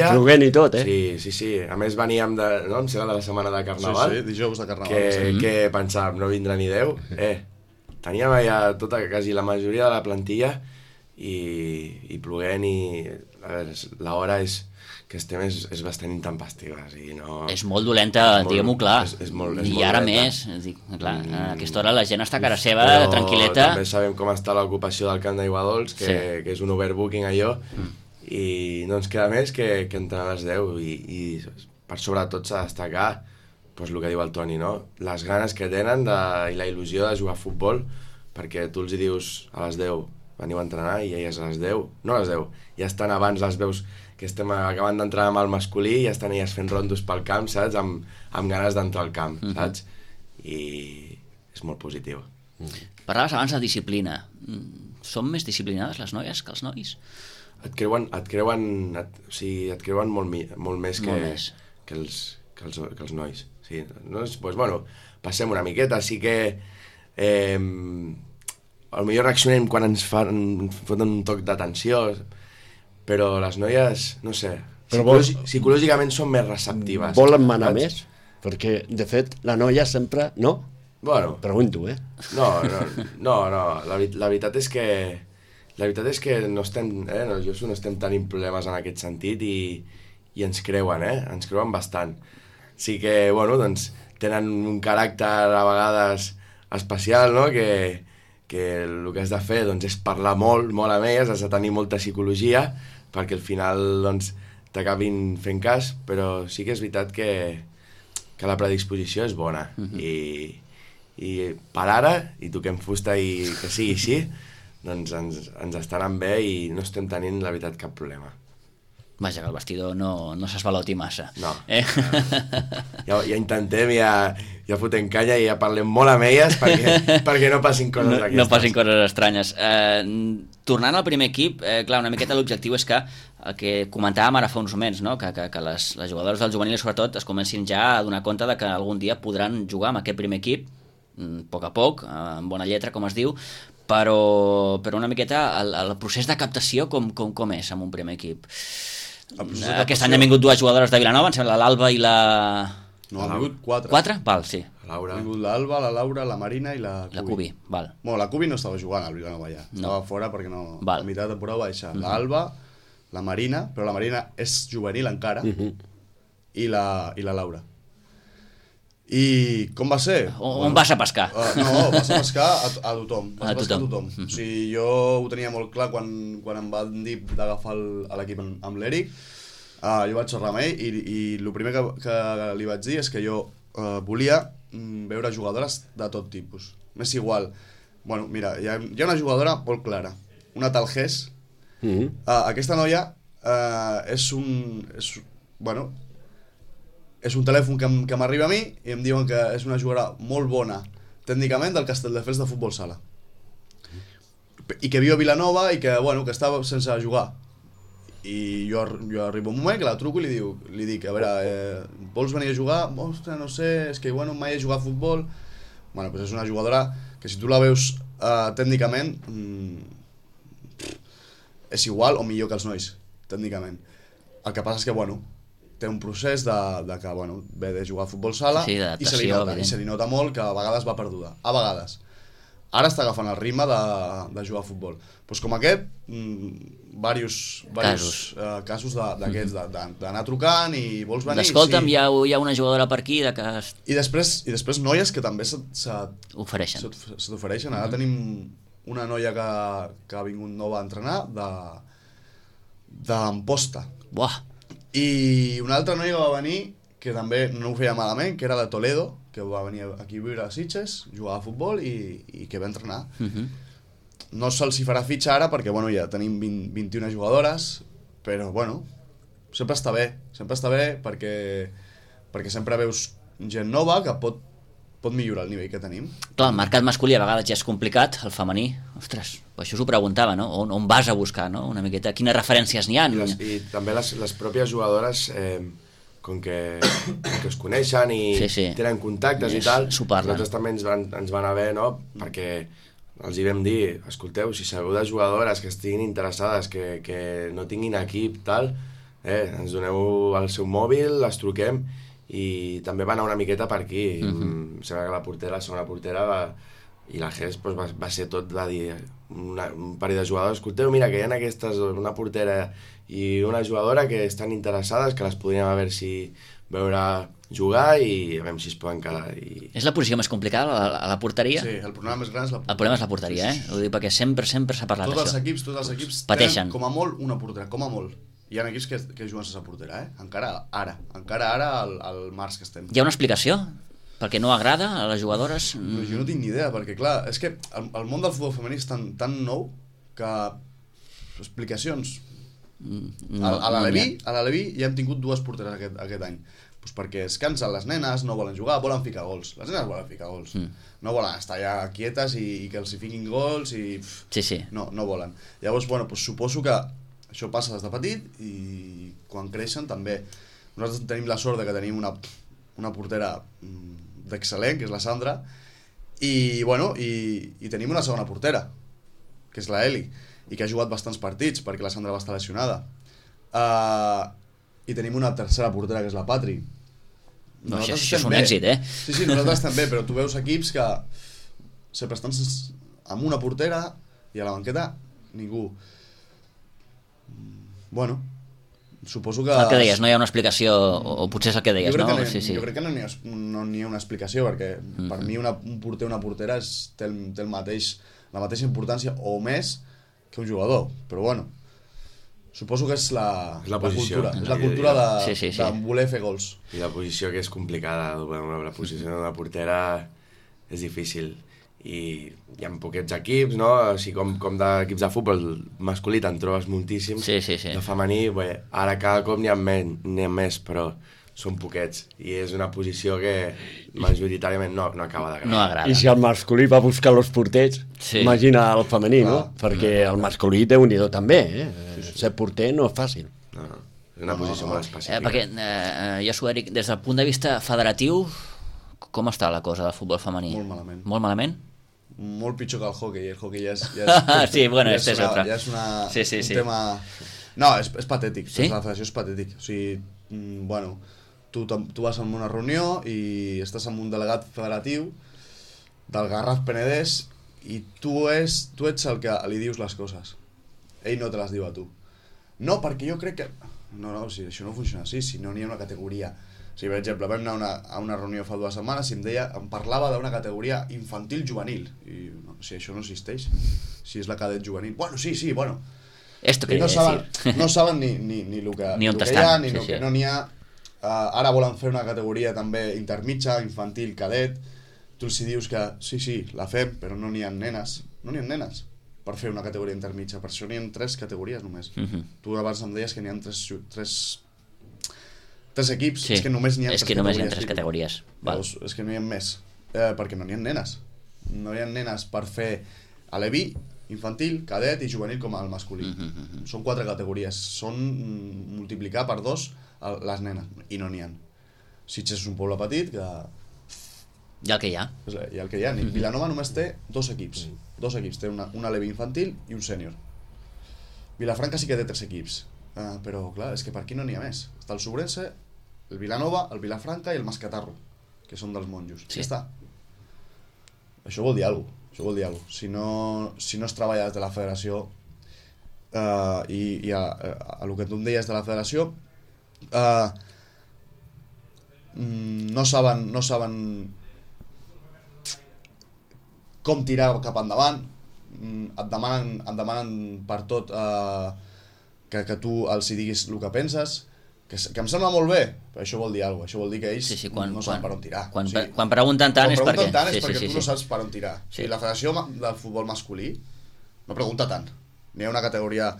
Plovent i tot, Sí. A més veníem de... No? Em sembla de la setmana de Carnaval. Sí, dijous de Carnaval. Que pensàvem, no vindrà ni Déu. Teníem allà quasi la majoria de la plantilla i plovent i... A veure, l'hora que estem és bastant intempestiva, o sigui, no... És molt dolenta, diguem-ho clar. És molt I ara més, clar, a aquesta hora la gent està a casa seva, tranquil·leta. Però també sabem com està l'ocupació del camp d'Aiguadols, que és un overbooking allò, i no ens queda més que entrar a les 10, i per sobretot s'ha de destacar el que diu el Toni, no? Les ganes que tenen i la il·lusió de jugar a futbol, perquè tu els dius a les 10 veniu a entrenar i elles a les 10, no a les 10, ja estan abans, les veus que estem acabant d'entrar amb el masculí i ja estan elles fent rondos pel camp, saps? Amb ganes d'entrar al camp, saps? I és molt positiu. Parlaves abans de disciplina. Són més disciplinades les noies que els nois? Et creuen molt més que els nois. Sí, doncs, bueno, passem una miqueta, sí que potser reaccionem quan ens foten un toc d'atenció, però les noies, no sé, psicològicament són més receptives. Volen manar més? Perquè, de fet, la noia sempre... No? Bueno. Pregunto, No, la veritat és que no estem, no estem tenint problemes en aquest sentit i ens creuen bastant. Sí que, bueno, doncs, tenen un caràcter a vegades especial, no?, que el que has de fer doncs, és parlar molt amb elles, has de tenir molta psicologia perquè al final doncs, t'acabin fent cas, però sí que és veritat que la predisposició és bona i per ara, i toquem fusta i que sigui així, doncs ens està anant bé i no estem tenint la veritat cap problema. Vaja, que el vestidor no s'esvaloti massa. No. Ja intentem, ja fotem canya i ja parlem molt amb elles perquè no passin coses d'aquestes. No passin coses estranyes. Tornant al primer equip, clar, una miqueta l'objectiu és que el que comentàvem ara fa uns moments, no? que les jugadores del juvenil sobretot es comencin ja a donar compte de que algun dia podran jugar amb aquest primer equip, a poc, amb bona lletra, com es diu, però una miqueta el procés de captació com és amb un primer equip. Aquest any han vingut dues jugadores de Vilanova, em sembla l'Alba i la... No, han vingut 4. 4? Val, sí. Han vingut l'Alba, la Laura, la Marina i la Cubi. Val. Bueno, la Cubi no estava jugant al Vilanova ja. Estava fora perquè no... Val. A mitjà de temporada va deixar. L'Alba, la Marina, però la Marina és juvenil encara, i la Laura. I com va ser? On vas a pescar? No, vas a pescar a tothom. Vas a pescar a tothom. O sigui, jo ho tenia molt clar quan em van dir d'agafar l'equip amb l'Eric. Jo vaig xerrar amb ell i el primer que li vaig dir és que jo volia veure jugadores de tot tipus. M'és igual. Bueno, mira, hi ha una jugadora molt clara, una tal Gés. Aquesta noia és un telèfon que m'arriba a mi i em diuen que és una jugadora molt bona tècnicament del Castelldefels de futbol sala i que viu a Vilanova i que, bueno, que estava sense jugar i jo arribo un moment que la truco i li dic, a veure, vols venir a jugar? Ostres, no sé, és que bueno, mai he jugat a futbol. Bueno, doncs és una jugadora que si tu la veus tècnicament és igual o millor que els nois, tècnicament. El que passa és que, bueno, té un procés de que, bueno, ve de jugar a futbol sala i se li nota molt que a vegades va perduda. A vegades. Ara està agafant el ritme de jugar a futbol. Doncs com aquest, diversos casos d'aquests, d'anar trucant i vols venir... Escolta'm, hi ha una jugadora per aquí de que... I després noies que també s'ofereixen. Ara tenim una noia que ha vingut nova a entrenar d'Amposta. Buah! I una altra noia va venir que també no ho feia malament, que era de Toledo, que va venir aquí a viure a Sitges, jugar a futbol i que va entrenar. No se'ls hi farà fitxa ara perquè, bueno, ja tenim 21 jugadores, però, bueno, sempre està bé perquè sempre veus gent nova que pot millorar el nivell que tenim. Clar, el mercat masculí a vegades ja és complicat, el femení, ostres, això us ho preguntava, no? On vas a buscar, no? Una miqueta, quines referències n'hi ha? I també les pròpies jugadores com que es coneixen i tenen contactes i tal, nosaltres també ens van haver, no? Perquè els hi vam dir, escolteu, si sabeu de jugadores que estiguin interessades, que no tinguin equip, tal, ens doneu el seu mòbil, les truquem, i també va anar una miqueta per aquí. Em sembla que la segona portera i la GES va ser tot, va dir un parell de jugadors, escolteu, mira, que hi ha aquestes, una portera i una jugadora que estan interessades, que les podríem a veure jugar i a veure si es poden quedar. És la posició més complicada, a la porteria? Sí, el problema més gran és la porteria. El problema és la porteria, Ho dic perquè sempre s'ha parlat d'això. Tots els equips tenen com a molt una portera, com a molt. Hi ha equips que juguen sense portera, Encara ara, al març que estem. Hi ha una explicació? Perquè no agrada a les jugadores? Jo no tinc ni idea, perquè clar, és que el món del futbol femení és tan nou que explicacions... A l'Aleví ja hem tingut 2 porteres aquest any, pues perquè es cansen les nenes, no volen jugar, volen ficar gols. Les nenes volen ficar gols, no volen estar allà quietes i que els hi fiquin gols i... No volen. Llavors, pues suposo que això passa des de petit i quan creixen també. Nosaltres tenim la sort de que tenim una portera d'excel·lent, que és la Sandra, i tenim una segona portera, que és la Eli, i que ha jugat bastants partits perquè la Sandra va estar lesionada. I tenim una tercera portera, que és la Patri. Això és un èxit, Sí, nosaltres també, però tu veus equips que sempre estan amb una portera i a la banqueta ningú. Suposo que... El que deies, no hi ha una explicació, o potser és el que deies, no? Jo crec que no n'hi ha una explicació, perquè per mi un porter o una portera té la mateixa importància o més que un jugador, però suposo que és la cultura. És la cultura de voler fer gols. I la posició que és complicada, la posició de la portera és difícil. I hi ha poquets equips, no? O sigui, com d'equips de futbol masculí te'n trobes moltíssims. De femení, ara cada cop n'hi ha més, però són poquets. I és una posició que majoritàriament no acaba d'agradar. No agrada. I si el masculí va buscar els porters, imagina el femení, no? Perquè el masculí Déu-n'hi-do també, Ser porter no és fàcil. No, és una posició molt específica. Perquè, Josu, Eric, des del punt de vista federatiu, com està la cosa del futbol femení? Molt malament. Molt malament? Molt pitjor que el hockey. El hockey ja és sí, este és altre. Ja és un tema... No, és patètic. Sí? La federació és patètic. O sigui, tu vas a una reunió i estàs amb un delegat federatiu del Garraf Penedès i tu ets el que li dius les coses. Ell no te les diu a tu. No, perquè jo crec que... No, si això no funciona així, si no n'hi ha una categoria... Si, per exemple, vam anar a una reunió fa 2 setmanes i em parlava d'una categoria infantil-juvenil. I si això no existeix, si és la cadet juvenil... Sí. Esto quería decir. No saben ni el que ni on hi ha, ni el que no n'hi ha. Ara volen fer una categoria també intermitja, infantil, cadet. Tu els dius que sí, la fem, però no n'hi ha nenes. No n'hi ha nenes per fer una categoria intermitja. Per això n'hi ha 3 categories només. Tu abans em deies que n'hi ha 3 equips, és que només n'hi ha 3 categories. És que només hi ha 3 categories. Llavors, és que no hi ha més, perquè no n'hi ha nenes. No hi ha nenes per fer aleví, infantil, cadet i juvenil com el masculí. Són 4 categories. Són multiplicar per 2 les nenes, i no n'hi ha. Sitges és un poble petit que... I el que hi ha. I el que hi ha. Vilanova només té 2 equips. 2 equips. Té un aleví infantil i un sènior. Vilafranca sí que té 3 equips. Però, clar, és que per aquí no n'hi ha més. Està el Sobrense, el Vilanova, el Vilafranca i el Mascatarro, que són dels monjos. Ja està. Això vol dir alguna cosa. Si no es treballa des de la federació i a el que tu em deies de la federació, no saben com tirar cap endavant, et demanen per tot que tu els hi diguis el que penses, que em sembla molt bé, però això vol dir alguna cosa. Això vol dir que ells no saben per on tirar. Quan pregunten tant és perquè... tu no saps per on tirar. La Federació del Futbol Masculí no pregunta tant. N'hi ha una categoria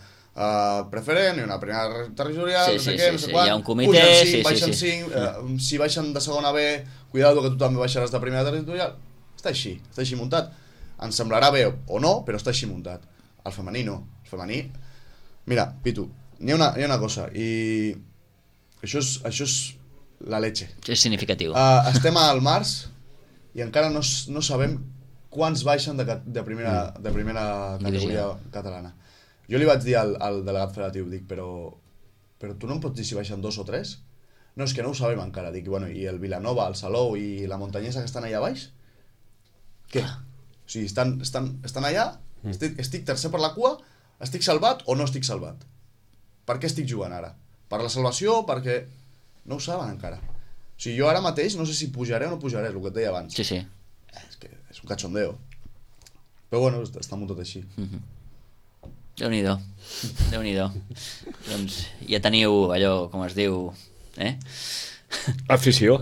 preferent, n'hi ha una primera territorial, no sé què, no sé quant. Hi ha un comitè... Baixen 5, si baixen de segona B, cuidado que tu també baixaràs de primera territorial. Està així muntat. Ens semblarà bé o no, però està així muntat. El femení no. El femení... Mira, Pitu, n'hi ha una cosa, i això és la leche. És significatiu. Estem al març i encara no sabem quants baixen de primera categoria catalana. Jo li vaig dir al delegat federatiu, dic, però tu no em pots dir si baixen 2 o 3? No, és que no ho sabem encara. Dic, bueno, i el Vilanova, el Salou i la Montanyesa que estan allà baix? Què? O sigui, estan allà, estic tercer per la cua, estic salvat o no estic salvat? Per què estic jugant ara? Per la salvació? Perquè... No ho saben encara. O sigui, jo ara mateix no sé si pujaré o no pujaré, és el que et deia abans. Sí. És que és un cachondeo. Però bueno, està molt tot així. Déu-n'hi-do. Doncs ja teniu allò, com es diu... Afició,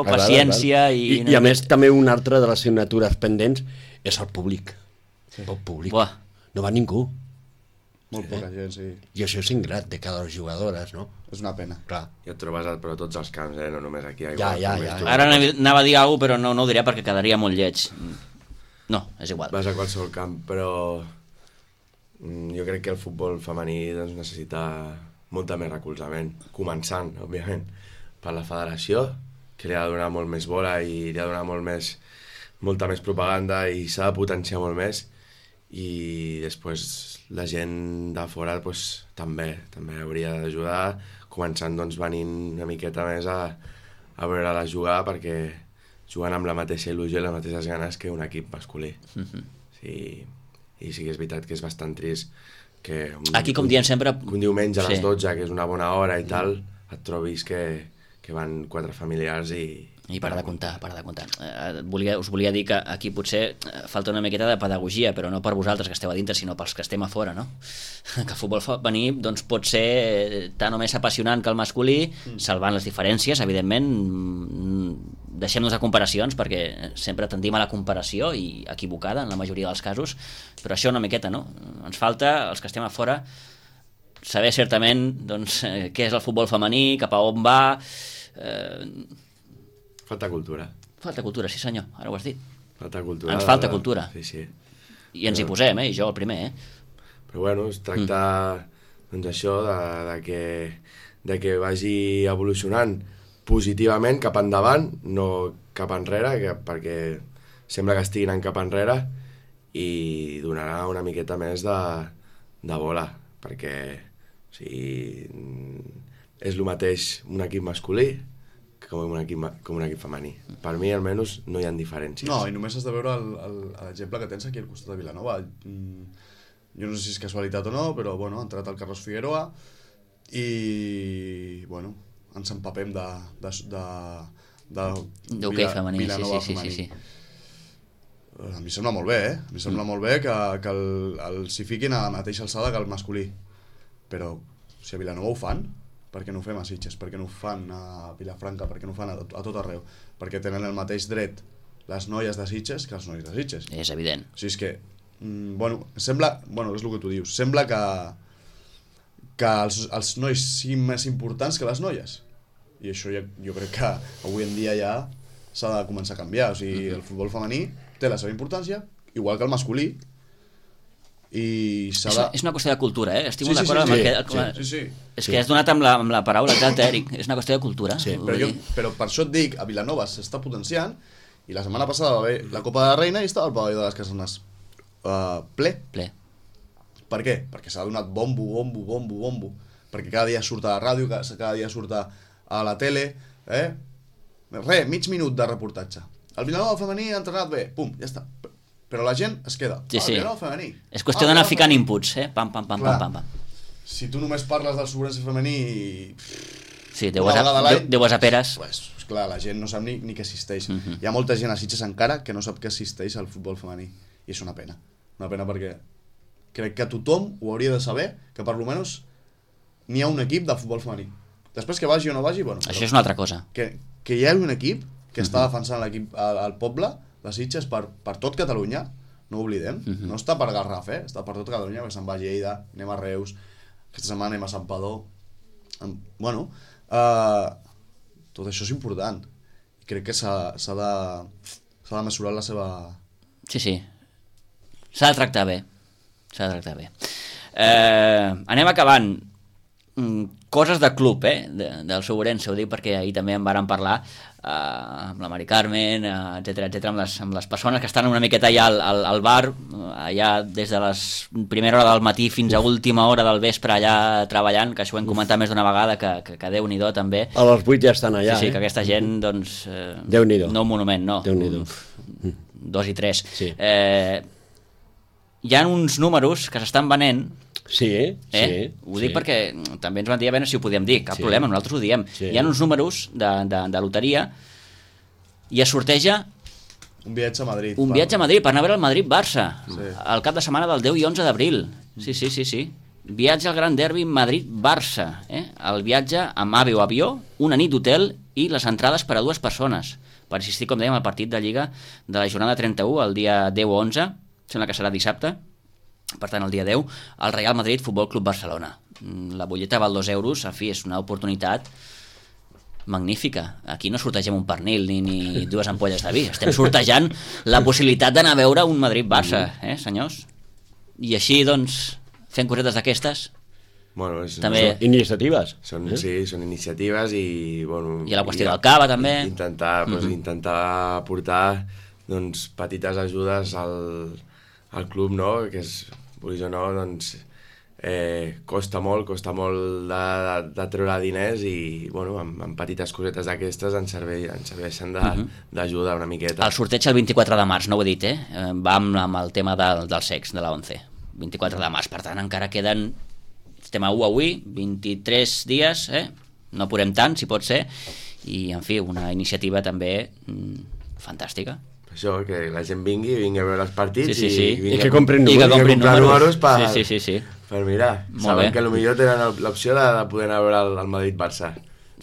paciència i a més també una altra de les assignatures pendents és el públic. El públic. Buah. No va ningú. Molt poca gent, sí. I això és ingrat de cada jugadores, no? És una pena. Clar. I et trobes per tots els camps, no només aquí. Ja. Ara anava a dir alguna cosa, però no ho diré perquè quedaria molt lleig. No, és igual. Vas a qualsevol camp, però jo crec que el futbol femení doncs, necessita molta més recolzament, començant, òbviament, per la federació, que li ha de donar molt més bola i li ha de donar molta més propaganda i s'ha de potenciar molt més, i després la gent de fora pues, també hauria d'ajudar, començant doncs, venint una miqueta més a veure-la jugar, perquè juguen amb la mateixa il·lusió i les mateixes ganes que un equip masculí. Sí, i sí que és veritat que és bastant trist que aquí, com diem sempre, un diumenge a les 12, que és una bona hora i tal, et trobis que van 4 familiars i para de comptar. Us volia dir que aquí potser falta una miqueta de pedagogia, però no per vosaltres que esteu a dintre, sinó pels que estem a fora, no? Que el futbol femení doncs, pot ser tant o més apassionant que el masculí, salvant les diferències, evidentment. Deixem-nos de comparacions, perquè sempre tendim a la comparació, i equivocada en la majoria dels casos, però això una miqueta, no? Ens falta, els que estem a fora, saber certament doncs, què és el futbol femení, cap a on va... Falta cultura. Falta cultura, sí senyor, ara ho has dit. Falta cultura. Ens falta cultura. Sí. I ens hi posem, i jo el primer, Però bueno, es tracta doncs això, de que vagi evolucionant positivament cap endavant, no cap enrere, perquè sembla que estiguin anant cap enrere, i donarà una miqueta més de bola, perquè o sigui, és el mateix un equip masculí com un equip femení. Per mi, almenys, no hi ha diferències. No, i només has de veure l'exemple que tens aquí al costat de Vilanova. Jo no sé si és casualitat o no, però bueno, ha entrat el Carlos Figueroa i bueno, ens empapem d'hoquei femení, sí. A mi sembla molt bé, A mi sembla molt bé que s'hi fiquin a la mateixa alçada que el masculí. Però si a Vilanova ho fan, per què no ho fem a Sitges? Per què no ho fan a Vilafranca? Per què no ho fan a tot arreu? Perquè tenen el mateix dret les noies de Sitges que els nois de Sitges. És evident. O sigui, és que, és el que tu dius, sembla que els nois siguin més importants que les noies. I això jo crec que avui en dia ja s'ha de començar a canviar. O sigui, el futbol femení té la seva importància, igual que el masculí, i és una qüestió de cultura, estic molt d'acord amb el que... És que has donat amb la paraula exacta, Eric, és una qüestió de cultura. Però per això et dic, a Vilanova s'està potenciant, i la setmana passada va haver la Copa de la Reina i estava el pavelló de les Casanes ple. Per què? Perquè s'ha donat bombo, perquè cada dia surt a la ràdio, cada dia surt a la tele, mig minut de reportatge. El Vilanova femení ha entrenat bé, pum, ja està. Però la gent es queda. Vilanova femení. És qüestió d'anar ficant inputs, pam. Si tu només parles del Sobrense femení... Sí, deu a peres. Pues, clar, la gent no sap ni que existeix. Hi ha molta gent a Sitges encara que no sap que existeix el futbol femení. I és una pena. Una pena perquè crec que tothom ho hauria de saber, que per almenys n'hi ha un equip de futbol femení. Després que vagi o no vagi, bueno... Això és una altra cosa. Que hi ha un equip que està defensant l'equip al poble de Sitges per tot Catalunya, no ho oblidem, no està per Garraf, està per tot Catalunya, que se'n va a Lleida, anem a Reus, aquesta setmana anem a Santpedor, bueno, tot això és important, i crec que s'ha de mesurar la seva... Sí, s'ha de tractar bé, Anem acabant. coses de club, del Ourense, ho dic perquè ahir també en vàrem parlar amb la Mari Carmen, etcètera, amb les persones que estan una miqueta allà al bar, allà des de les primera hora del matí fins a última hora del vespre allà treballant, que això ho hem comentat més d'una vegada, que Déu-n'hi-do també. A les 8 ja estan allà, Sí, que aquesta gent, doncs... Déu-n'hi-do. No un monument, no. Déu-n'hi-do. 2 i 3. Sí. Hi ha uns números que s'estan venent. Sí. Ho dic perquè també ens van dir a veure si ho podíem dir, cap problema, nosaltres ho diem. Hi ha uns números de loteria i es sorteja un viatge a Madrid. Un viatge a Madrid per anar a veure el Madrid-Barça el cap de setmana del 10 i 11 d'abril. Sí. Viatge al Gran Derbi Madrid-Barça. El viatge amb AVE o avió, una nit d'hotel i les entrades per a 2 persones per assistir, com dèiem, al partit de Lliga de la jornada 31, el dia 10 o 11, sembla que serà dissabte. Per tant, el dia 10, el Real Madrid Futbol Club Barcelona. La butlleta val 2 euros, en fi, és una oportunitat magnífica. Aquí no sortegem un pernil ni 2 ampolles de vi, estem sortejant la possibilitat d'anar a veure un Madrid-Barça, senyors? I així, doncs, fent cosetes d'aquestes, bueno, també... Iniciatives. Sí, són iniciatives i... Bueno, i la qüestió del cava, també. Intentar aportar doncs, petites ajudes al club, no? Que és, vulguis o no, doncs costa molt de treure diners i bueno, amb petites cosetes d'aquestes ens serveixen d'ajuda una miqueta. El sorteig el 24 de març, no ho he dit, va amb el tema del sex, de la 11. 24 de març, per tant encara queden, estem a 1 avui, 23 dies, no apurem tant, si pot ser, i en fi, una iniciativa també fantàstica. Això, que la gent vingui a veure els partits i que comprin números per mirar. Molt Sabem bé. que potser tenen l'opció de poder anar a veure el Madrid-Barça.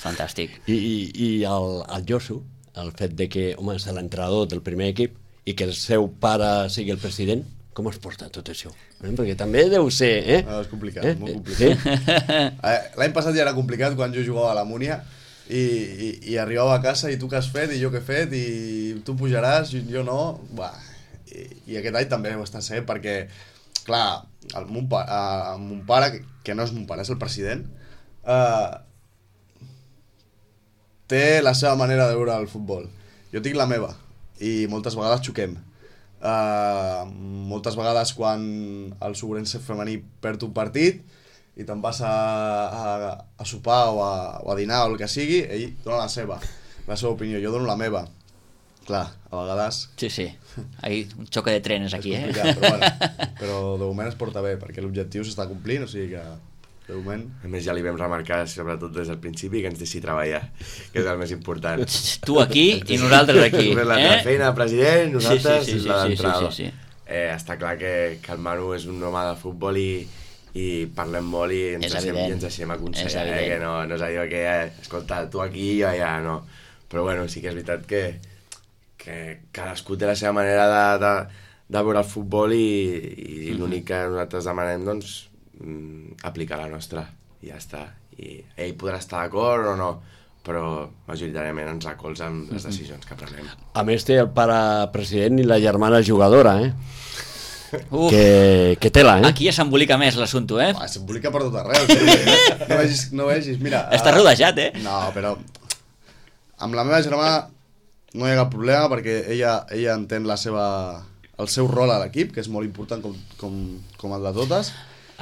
Fantàstic. I el Josu, el fet de que, home, és l'entrenador del primer equip i que el seu pare sigui el president, com es porta tot això? Perquè també deu ser... És complicat, molt complicat. L'any passat ja era complicat quan jo jugava a la Múnia i arribava a casa i tu què has fet i jo què he fet i tu pujaràs i jo no. I aquest any també ho està sent perquè, clar, mon pare, que no és mon pare, és el president, té la seva manera de veure el futbol. Jo tinc la meva i moltes vegades xoquem. Moltes vegades quan el Ourense femení perd un partit i te'n vas a sopar o a dinar o el que sigui, ell dona la seva opinió, jo dono la meva. Clar, a vegades... Sí. Ahí un xoque de trenes aquí, és complicat, però de moment es porta bé, perquè l'objectiu s'està complint, o sigui que de moment... A més ja li vam remarcar, sobretot des del principi, que ens deixi treballar, que és el més important. Tu aquí i nosaltres aquí. La feina, president, nosaltres la d'entrada. Sí. Està clar que el Manu és un home de futbol i parlem molt i ens deixem aconsellar, que no és allò que, escolta, tu aquí i jo allà, no. Però bueno, sí que és veritat que cadascú té la seva manera de veure el futbol i l'únic que nosaltres demanem, doncs, aplicar la nostra i ja està. I ell podrà estar d'acord o no, però majoritàriament ens recolza amb les decisions que prenem. A més té el pare president i la germana jugadora, que tela, Aquí ja s'embolica més l'assumpte, S'embolica per tot arreu, no vegis, mira... Està rodejat, No, però amb la meva germana no hi ha cap problema perquè ella entén el seu rol a l'equip, que és molt important com el de totes.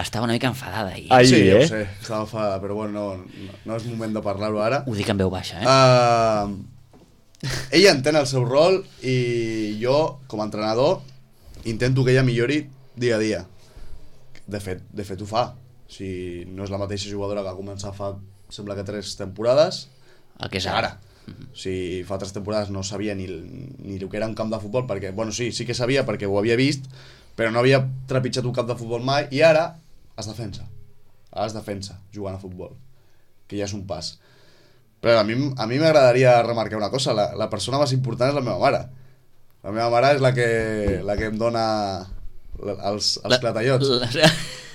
Estava una mica enfadada ahir. Sí, ho sé, estava enfadada, però bueno, no és moment de parlar-ho ara. Ho dic en veu baixa, Ella entén el seu rol i jo, com a entrenador, intento que ella millori dia a dia. De fet ho fa. Si no és la mateixa jugadora que va començar fa, sembla que 3 temporades, el que és ara. Si fa 3 temporades no sabia ni el que era un camp de futbol, perquè, bueno, sí que sabia perquè ho havia vist, però no havia trepitjat un camp de futbol mai, i ara es defensa. Ara es defensa jugant a futbol, que ja és un pas. Però a mi m'agradaria remarcar una cosa, la persona més important és la meva mare. La meva mare és la que em dona els clatallots.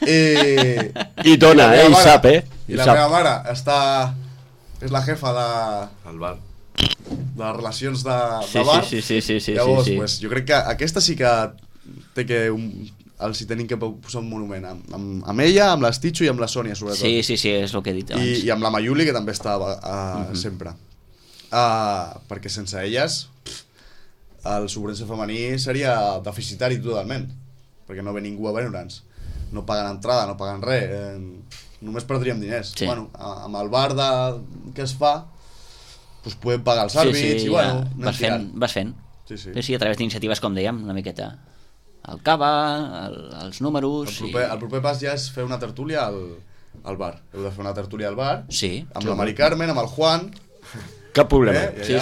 I dona, i sap, I la meva mare és la jefa del bar, de les relacions de bar. Sí. Llavors, pues, jo crec que aquesta sí que té que els hi tenim que posar un monument amb ella, amb l'Esticho i amb la Sònia, sobretot. Sí, és el que he dit abans. I amb la Mayuli, que també estava sempre. Perquè sense elles el Sobrense femení seria deficitari totalment, perquè no ve ningú a veure'ns, no paguen entrada, no paguen res, només perdríem diners. Sí. Bueno, amb el bar que es fa, doncs podem pagar els àrbits i bueno, vas fent. Sí, a través d'iniciatives, com dèiem, una miqueta el cava, els números... El proper pas ja és fer una tertúlia al bar. Heu de fer una tertúlia al bar, amb la Mari Carmen, amb el Juan... Cap problema. Sí.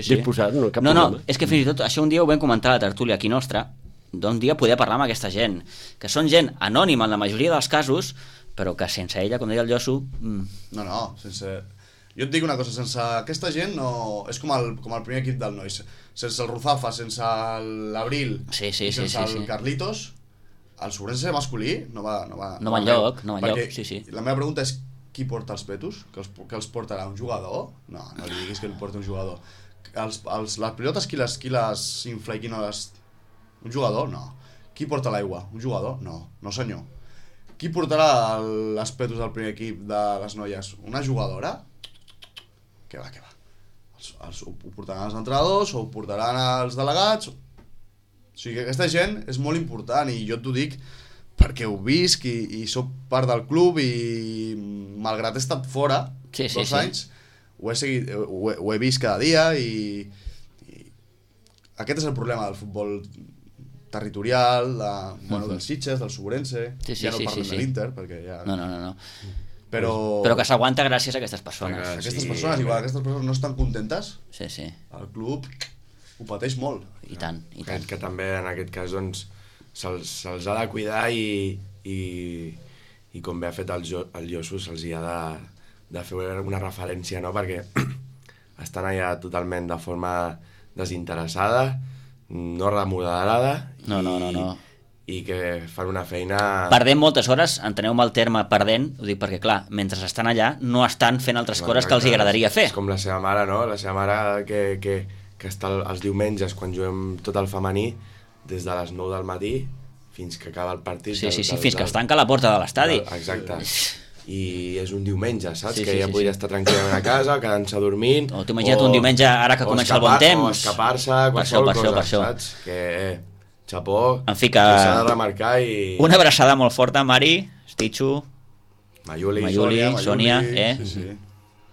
Disposat, no, cap problema. No, és que fins i tot això un dia ho vam comentar a la tertúlia aquí nostra, d'un dia poder parlar amb aquesta gent, que són gent anònima en la majoria dels casos, però que sense ella, com deia el Josu... No, sense... Jo et dic una cosa, sense aquesta gent no... És com el primer equip del Nois. Sense el Ruzafa, sense l'Abril i sense el Carlitos, el Sobrense masculí no va enlloc, sí. La meva pregunta és qui porta els petos? Que els portarà un jugador? No li diguis que el porta un jugador. Les pilotes qui les infla i qui no les... Un jugador? No. Qui porta l'aigua? Un jugador? No senyor. Qui portarà les petos del primer equip de les noies? Una jugadora? Què va. Ho portaran els entrenadors o ho portaran els delegats. O sigui que aquesta gent és molt important i jo t'ho dic perquè ho visc i soc part del club i malgrat he estat fora 2 anys ho he seguit, ho he vist cada dia i aquest és el problema del futbol territorial del Sitges, del Sobrense, ja no parlem de l'Inter perquè ja... No. Però que s'aguanta gràcies a aquestes persones. Aquestes persones no estan contentes, el club ho pateix molt. I tant. Que també en aquest cas doncs, se'ls ha de cuidar i com bé ha fet el Josu, se'ls hi ha de fer una referència, no? Perquè estan allà totalment de forma desinteressada, no remodelada i que fan una feina... Perdent moltes hores, enteneu-me el terme perdent, ho dic perquè, clar, mentre estan allà no estan fent altres coses que els agradaria fer. És com la seva mare, no? La seva mare que està els diumenges, quan juguem tot el femení, des de les 9 del matí fins que acaba el partit... Sí, fins que es tanca la porta de l'estadi. Exacte. I és un diumenge, saps? Que ja podria estar tranquil·lament a casa, quedant-se dormint... O t'imagina't un diumenge ara que comença el bon temps... O escapar-se, qualsevol cosa, saps? Que... Xapó, en fi, que s'ha de remarcar i... Una abraçada molt forta, Mari, Stichu, Mayuli, Sònia, Sí.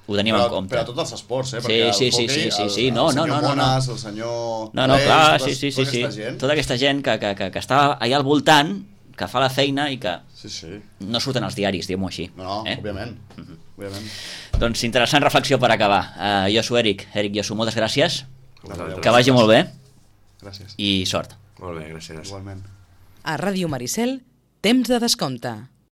Ho tenim en compte. Per a tots els esports, perquè sí. El senyor Monas, el senyor... clar, sí. Tota aquesta gent que està allà al voltant, que fa la feina i que no surten als diaris, diguem-ho així. No, òbviament. Doncs interessant reflexió per acabar. Josu, Eric, Josu, moltes gràcies. Que vagi molt bé. Gràcies. I sort. Molt bé, gràcies. Igualment. A Ràdio Maricel, temps de descompte.